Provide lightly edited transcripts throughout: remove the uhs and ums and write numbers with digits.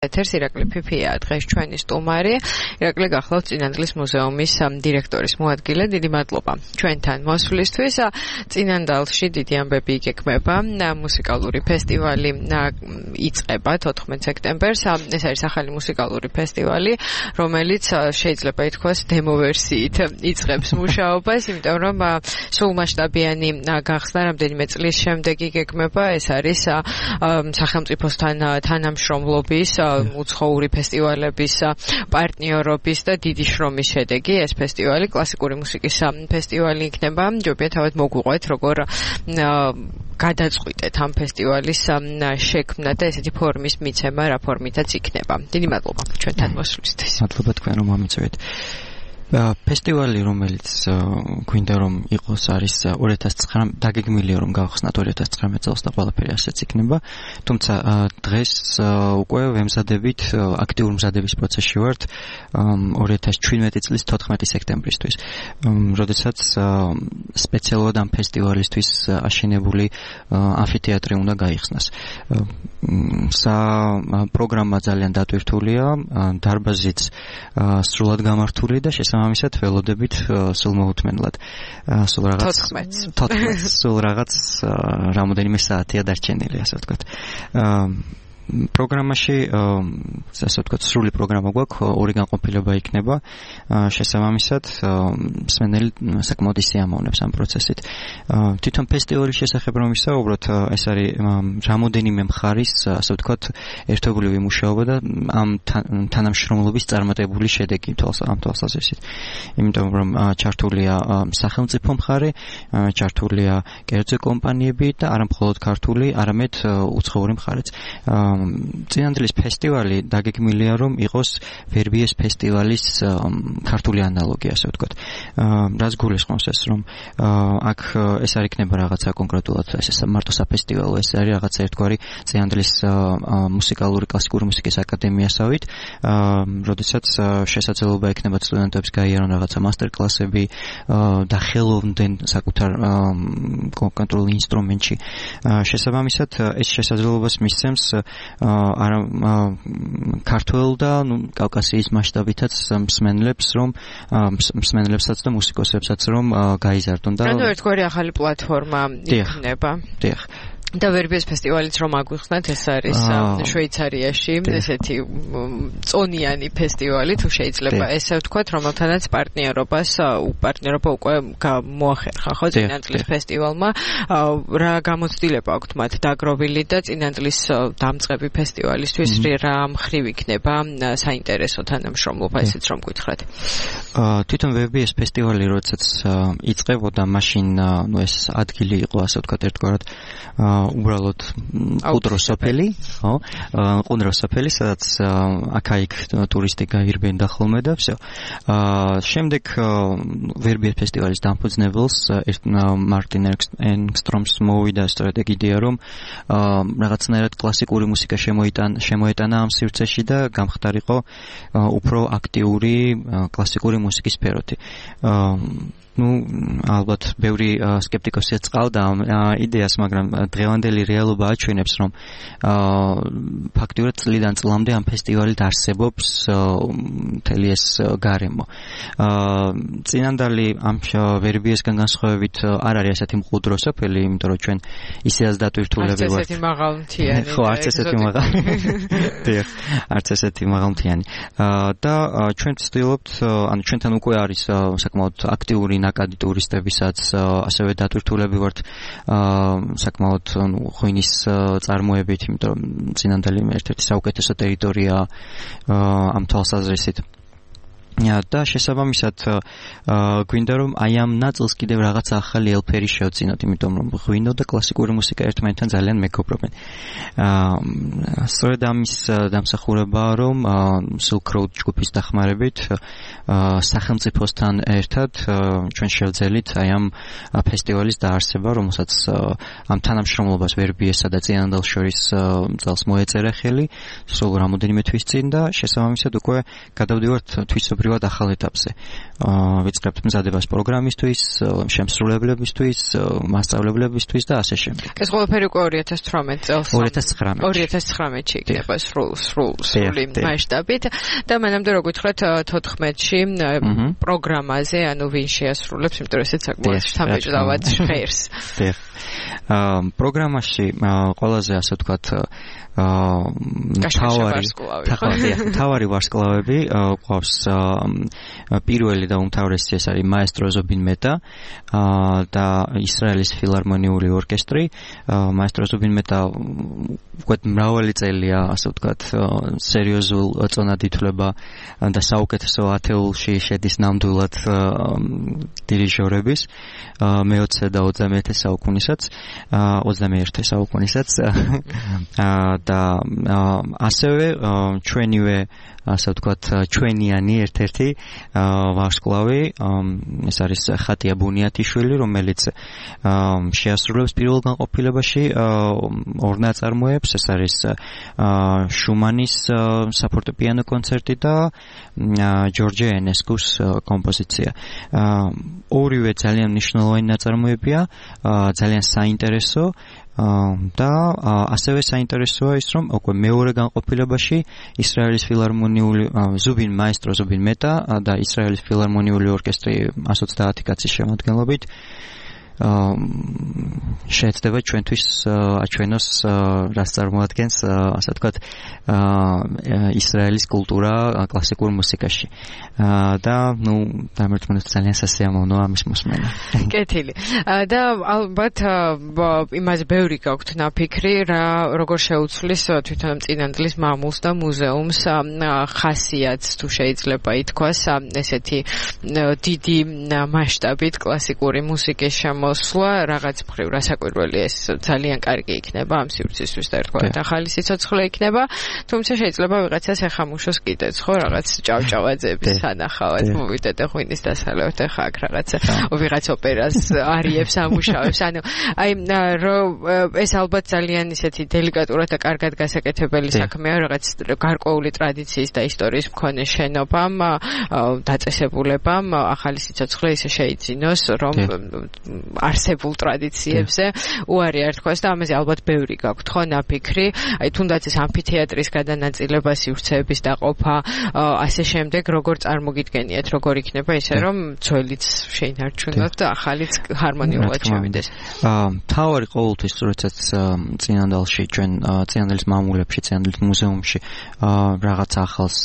ეთერს ირაკლი ფიფია დღეს ჩვენი სტუმარი. ირაკლი გახლავთ წინანდლის მუზეუმის დირექტორის მოადგილე. დიდი მადლობა ჩვენთან მოსვლისთვის. წინანდალში დიდი ამბები იგეგმება. მუსიკალური ფესტივალი იწყება 14 სექტემბერს. ეს არის ახალი მუსიკალური ფესტივალი, რომელიც შეიძლება ითქვას დემო ვერსიით იწყებს მუშაობას, იმიტომ რომ სრულმასშტაბიანი გახსნა რამდენიმე წლის შემდეგ იგეგმება. ეს არის სახელმწიფოსთან თანამშრომლობის უცხოური ფესტივალების პარტნიორობის და დიდი შრომის შედეგი. ეს ფესტივალი კლასიკური მუსიკის ფესტივალი იქნება. ჯობია თავად მოგვიყვეთ, როგორ გადაწყვიტეთ ამ ფესტივალის შექმნა და ესეთი ფორმის მიცემა, რა ფორმითაც იქნება. დიდი მადლობა ჩვენთან მოსვლისთვის. მადლობა თქვენ რომ მომიწევით. ფესტივალი, რომელიც გვინდა რომ იყოს, არის 2009 დაგეგმილია რომ გავხსნათ 2019 წელს და ყველაფერი ასეც იქნება. თუმცა დღეს უკვე ვემზადებით, აქტიურ მზადების პროცესში ვართ 2017 წლის 14 სექტემბრისთვის. როდესაც სპეციალურად ამ ფესტივალისთვის აშენებული ამფითეატრი უნდა გაიხსნას. პროგრამა ძალიან დატვირთულია, დარბაზიც სრულად გამართული და ამისად ველოდებით სულ მოუთმენლად. სულ რაღაც რამოდენიმე საათია დარჩენილი, ასე ვთქვათ. პროგრამაში, ასე ვთქვათ, სრული პროგრამა გვაქვს, ორი განყოფილება იქნება. შესაბამისად, მსმენელი საკმაოდ ისიამოვნებს ამ პროცესით. თვითონ ფესტივალის შესახებ რომ ვისაუბროთ, ეს არის რამოდენიმე მხარის, ასე ვთქვათ, ერთობლივი მუშაობა და ამ თანამშრომლობის წარმატებული შედეგი ამ თვალსაზრისით. იმიტომ რომ ჩართულია სახელმწიფო მხარე, ჩართულია კერძო კომპანიები და არა მხოლოდ ქართული, არამედ უცხოური მხარეც. წინანდლის ფესტივალი დაგეგმილია რომ იყოს ვერბიეს ფესტივალის ქართული ანალოგი, ასე ვთქვათ. რაც გულისხმობს ეს, რომ აქ ეს არ იქნება რაღაცა კონკრეტულად ეს მარტო საფესტივალო, ეს არის რაღაცა ერთგვარი წინანდლის მუსიკალური კლასიკური მუსიკის აკადემიასავით, როდესაც შესაძლებლობა ექნება სტუდენტებს გაიარონ რაღაცა მასტერკლასები და ხელოვნდნენ საკუთარ კონკრეტულ ინსტრუმენტში. შესაბამისად, ეს შესაძლებლობას მისცემს ქართულ და კავკასიის მასშტაბითაც მსმენელებსაც და მუსიკოსებსაც რომ გაიზარდონ და ერთგვარი ახალი პლატფორმა იქნება. დიახ. და ვერბიეს ფესტივალიც რომ აგვიხსნათ, ეს არის შვეიცარიაში ესეთი წონიანი ფესტივალი, თუ შეიძლება ესე ვთქვათ, რომელთანაც პარტნიორობა უკვე მოახერხა, ხო, წინანდლის ფესტივალმა. რა გამოცდილება აქვთ მათ დაგროვილი და წინანდლის დამწყები ფესტივალისთვის რა მხრივ იქნება საინტერესო თანამშრომლობა, ესეც რომ გითხრათ. თვითონ ვერბიეს ფესტივალი როდესაც იწყებოდა, მაშინ ეს ადგილი იყო, ასე ვთქვათ, ერთგვარად უბრალოდ ყუდროსოფელი, ხო? ყუდროსოფელი, სადაც აქ-იქ ტურისტი გაირბენდა ხოლმე და всё. შემდეგ ვერბიეს ფესტივალის დამფუძნებელს მარტინ ენგსტრომს მოვიდა სწორედ ეგ იდეა, რომ რაღაცნაირად კლასიკური მუსიკა შემოეტანა ამ სივრცეში და გამხდარიყო უფრო აქტიური კლასიკური მუსიკის სფეროთი. ალბათ ბევრი სკეპტიკოსი წყალდა ამ იდეას, მაგრამ დღევანდელი რეალობა აჩვენებს, რომ ფაქტიურად წლიდან წლამდე ამ ფესტივალით არსებობს მთელი ეს გარემო. წინანდალი ამ ვერბიესგან განსხვავებით არ არის ასეთი მყუდრო სოფელი, იმიტომ რომ ჩვენ ისედაც დატვირთულები ვართ. არც ესეთი მაღალმთიანი. ხო, არც ესეთი მაღალმთიანი. და ჩვენ ვცდილობთ, ანუ ჩვენთან უკვე არის საკმაოდ აქტიური ნაკადი ტურისტებისაც, ასევე დატვირთულები ვართ საკმაოდ ღვინის წარმოებით, იმიტომ რომ წინანდალი ერთ-ერთი საუკეთესო ტერიტორია ამ თვალსაზრისით. და შესაბამისად გვინდა რომ აი ამ ნაწილს კიდევ რაღაცა ახალი ელფერი შევწინოთ, იმიტომ რომ ღვინო და კლასიკური მუსიკა ერთმანეთთან ძალიან მეგობრობენ. სწორედ ამის დამსახურებაა, რომ Silk Road ჯგუფის დახმარებით სახელმწიფოსთან ერთად ჩვენ შევძელით აი ამ ფესტივალის დაარსება, რომელსაც ამ თანამშრომლობას ვერბიესა და წინანდალს შორის წელს მოეწერა ხელი, სულ რამოდენიმე თვის წინ და შესაბამისად უკვე გადავდივართ თვისობრივ ნამდვილად ახალ ეტაპზე. ვიწყებთ მზადებას პროგრამისთვის, შემსრულებლებისთვის, მასწავლებლებისთვის და ასე შემდეგ. ეს ყველაფერი უკვე 2018 წელს 2019-ში იქნება სრული მასშტაბით და მანამდე რო გითხრათ 14-ში პროგრამაზე, ანუ ვინ შეასრულებს, იმიტომ რომ ესეც საკმაოდ სამეჭდავად ჟღერს. პროგრამაში ყველაზე ასე ვთქვათ თავარი ვარსკვლავები ყავს პირველი და უმთავრესი ეს არის მაესტრო ზუბინ მეტა და ისრაელის ფილარმონიული ორკესტრი. მაესტრო ზუბინ მეტა უკვე მრავალი წელია ასე ვთქვათ სერიოზულ წონად ითვლება და საუკეთესო ათეულში შედის ნამდვილად დირიჟორების მე-20 და 21 საუკუნესაც 21 საუკუნესაც და ასევე ჩვენივე ასე ვთქვათ ჩვენიანი ერთ-ერთი ვარსკვლავი ეს არის ხატია ბუნიათიშვილი, რომელიც შეასრულებს პირველ განყოფილებაში ორ ნაწარმოებს. ეს არის შუმანის საფორტეპიანო კონცერტი და ჯორჯე ენესკუს კომპოზიცია. ორივე ძალიან მნიშვნელოვანი ნაწარმოებია, ძალიან საინტერესო და ასევე საინტერესოა ის, რომ უკვე მეორე განყოფილებაში ისრაელის ფილარმონიული ზუბინ მაესტრო ზუბინ მეტა და ისრაელის ფილარმონიული ორკესტრი 130 კაცის შემადგენლობით შეეცდება ჩვენთვის აჩვენოს რაც წარმოადგენს ასე ვთქვათ ისრაელის კულტურა კლასიკურ მუსიკაში და ნუ დამერთმუნეთ ძალიან სასიამოვნოა ამის მოსმენა. კეთილი. და ალბათ იმაზე ბევრი გაქვთ ნაფიქრი რა როგორ შეუცვლის თვითონ წინანდლის მამულს და მუზეუმს ხასიათს თუ შეიძლება ითქვას ესეთი დიდი მასშტაბით კლასიკური მუსიკის მოსვლა რაღაც მხრივ რასაკვირველი ეს ძალიან კარგი იქნება ამ სივრცისთვის და ერთგვარად ახალი სიცოცხლე იქნება, თუმცა შეიძლება ვიღაცას ეხამუშოს კიდეც ხო რაღაც ჭავჭავაძეების სანახავად მოვიდეთ ღვინის დასალევთ ხა აქ რაღაც ვიღაც ოპერას არიებს ამუშავებს, ანუ აი ეს ალბათ ძალიან ისეთი დელიკატურად და კარგად გასაკეთებელი საქმეა რაღაც გარკვეული ტრადიციის და ისტორიის მქონე შენობამ დაწესებულებამ ახალი სიცოცხლე ისე შეიძინოს რომ არსებულ ტრადიციებზე უარი არ თქვას და ამაზე ალბათ ბევრი გაქვთ ხო ნაფიქრი, აი თუნდაც ეს ამფითეატრის გადანაწილება, სივრცეების დაყოფა, ასე შემდეგ როგორ წარმოგიდგენიათ, როგორ იქნება ისე რომ ძველიც შეინარჩუნოთ და ახალიც ჰარმონიულად შევიდეს. თავარი ყოველთვის როდესაც წინანდალში ჩვენ წინანდლის მამულებში, წინანდლის მუზეუმში რაღაც ახალს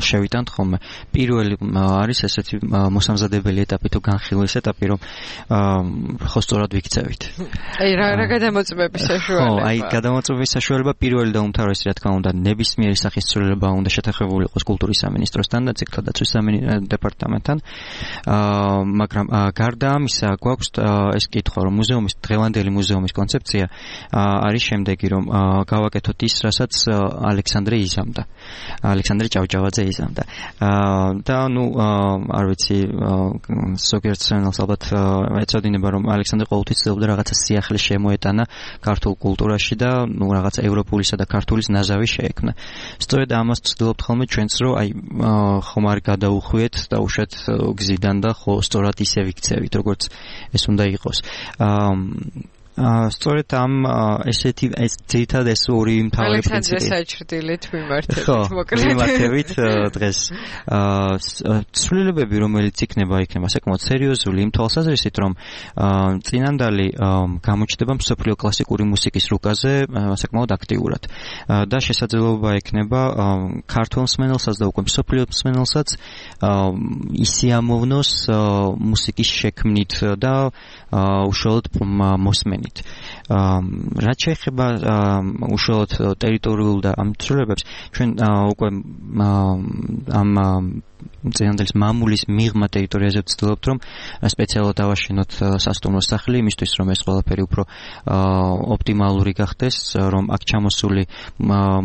შევიტანთ ხოლმე, პირველი არის ესეთი მოსამზადებელი ეტაპი თუ განხილვის ეტაპი, რომ ხო სწორად ვიქცევით. აი რა გადამოწმების საშუალება? ხო, აი გადამოწმების საშუალება პირველი და უმთავრესი რა თქმა უნდა ნებისმიერი სახის ცვლილება უნდა შეთანხმებული იყოს კულტურის სამინისტროსთან და ციხეთა დაცვის დეპარტამენტთან. მაგრამ გარდა ამისა გვაქვს ეს კითხვა, რომ მუზეუმის დღევანდელი მუზეუმის კონცეფცია არის შემდეგი, რომ გავაკეთოთ ის, რასაც ალექსანდრე იზამდა. ალექსანდრე ჭავჭავაძე იზამდა. და ნუ არ ვიცი ზოგიერთ სცენალს ალბათ ეწოდინება, რომ ალექსანდრე ყოველთვის ცდილობდა რაღაცა სიახლე შემოეტანა ქართულ კულტურაში და ნუ რაღაცა ევროპულისა და ქართულის ნაზავი შეექმნა. სწორედ ამას ვცდილობთ ხოლმე ჩვენც, რომ აი ხომ არ გადაუხვიეთ და უშოთ გზიდან და ხო სწორად ისე ვიქცევით, როგორც ეს უნდა იყოს. სწორედ ამ ესეთი ეს ძირითადად ეს ორი მთავარი პრინციპი. ალექსანდრე საჩრდილით მიმართებით მოკლედ. მიმართებით დღეს. ცვლილებები, რომელიც იქნება საკმაოდ სერიოზული იმ თვალსაზრისით, რომ წინანდალი გამოჩნდება მსოფლიო კლასიკური მუსიკის რუკაზე საკმაოდ აქტიურად და შესაძლებლობა ექნება ქართულ მსმენელსაც და უკვე მსოფლიო მსმენელსაც ისიამოვნოს მუსიკის შექმნით და უშუალოდ მოსმენით. რაც შეეხება უშუალოდ ტერიტორიულ და ამ ცვლილებებს, ჩვენ უკვე ამ წინანდლის მამულის მიღმა ტერიტორიაზე ვცდილობთ, რომ სპეციალურად ავაშენოთ სასტუმრო სახლი, იმისთვის, რომ ეს ყველაფერი უფრო ოპტიმალური გახდეს, რომ აქ ჩამოსული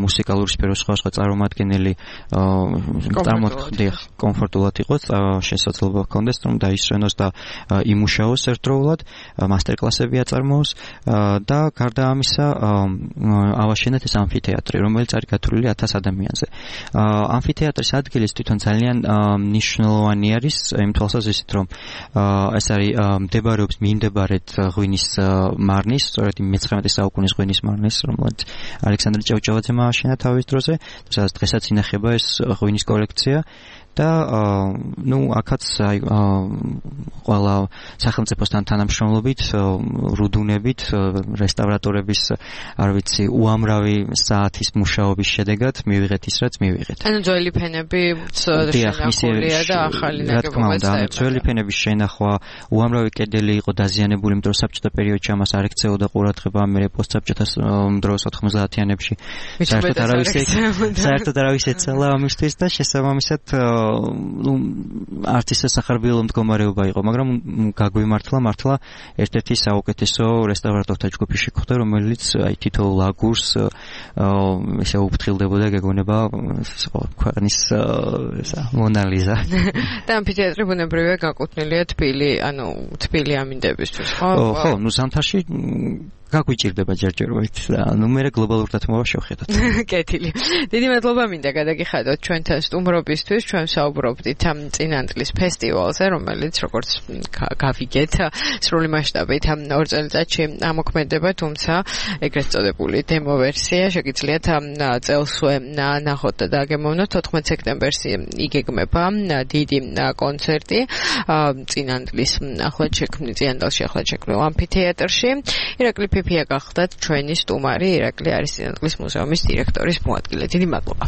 მუსიკალური სფეროს სხვადასხვა წარმომადგენელი კომფორტულად იყოს, შესაძლებლობა ჰქონდეს, რომ დაისვენოს და იმუშაოს ერთდროულად, მასტერკლასები აწარმოოს და გარდა ამისა ავაშენეთ ეს ამფითეატრი, რომელიც არის გათვლილი 1000 ადამიანზე. ამფითეატრის ადგილის თვითონ ძალიან ნიშნულოვანი არის იმ თვალსაზრისით, რომ ეს არის მდებარეობს მიმდებარედ ღვინის მარნის, სწორედ მე-19 საუკუნის ღვინის მარნის, რომელიც ალექსანდრე ჭავჭავაძემ ააშენა თავის დროზე, სადაც დღესაც ინახება ეს ღვინის კოლექცია. და აქაც ყველა სახელმწიფოსთან თანამშრომლობით, რუდუნებით, რესტავრატორების, არ ვიცი, უამრავი საათის მუშაობის შედეგად მივიღეთ ის, რაც მივიღეთ. ანუ ძველი ფენები შენახულია და ახალი ნაგებობაც დაემატა. ძველი ფენების შენახვა, უამრავი კედელი იყო დაზიანებული, იმიტომ რომ საბჭოთა პერიოდში ამას არ ექცეოდა ყურადღება, მერე პოსტსაბჭოთა დროს 90-იანებში. საერთოდ არავის ეცალა ამისთვის და შესაბამისად არც ისე სახარბიელო მდგომარეობა იყო, მაგრამ გაგვიმართლა მართლა ერთ-ერთი საუკეთესო რესტავრატორთა ჯგუფი შეხვდა, რომელიც თითოეულ აგურს ესე უფრთხილდებოდა, გეგონება ქვეყნის მონალიზა. და ამფითეატრი ბუნებრივია გაკუთვნილია თბილი ამინდებისთვის, ხო? ხო, ზამთარში გაგვიჭირდება ჯერჯერობით და მე გლობალურ დათმობა შევხედოთ. კეთილი. დიდი მადლობა მინდა გადაგიხადოთ ჩვენთან სტუმრობისთვის. ჩვენ საუბრობდით ამ წინანდლის ფესტივალზე, რომელიც როგორც გავიგეთ, სრული მასშტაბით 2 წელიწადში ამოქმედება, თუმცა ეგრეთ წოდებული დემო ვერსია შეგიძლიათ წელსვე ნახოთ და დაგემოვნოთ. 14 სექტემბერს იგეგმება დიდი კონცერტი წინანდლის წინანდალში ახლად შექმნილ ამფითეატრში. ირაკლი ფიფია გახდათ ჩვენი სტუმარი. ირაკლი არის წინანდლის მუზეუმის დირექტორის მოადგილე. დიდი მადლობა.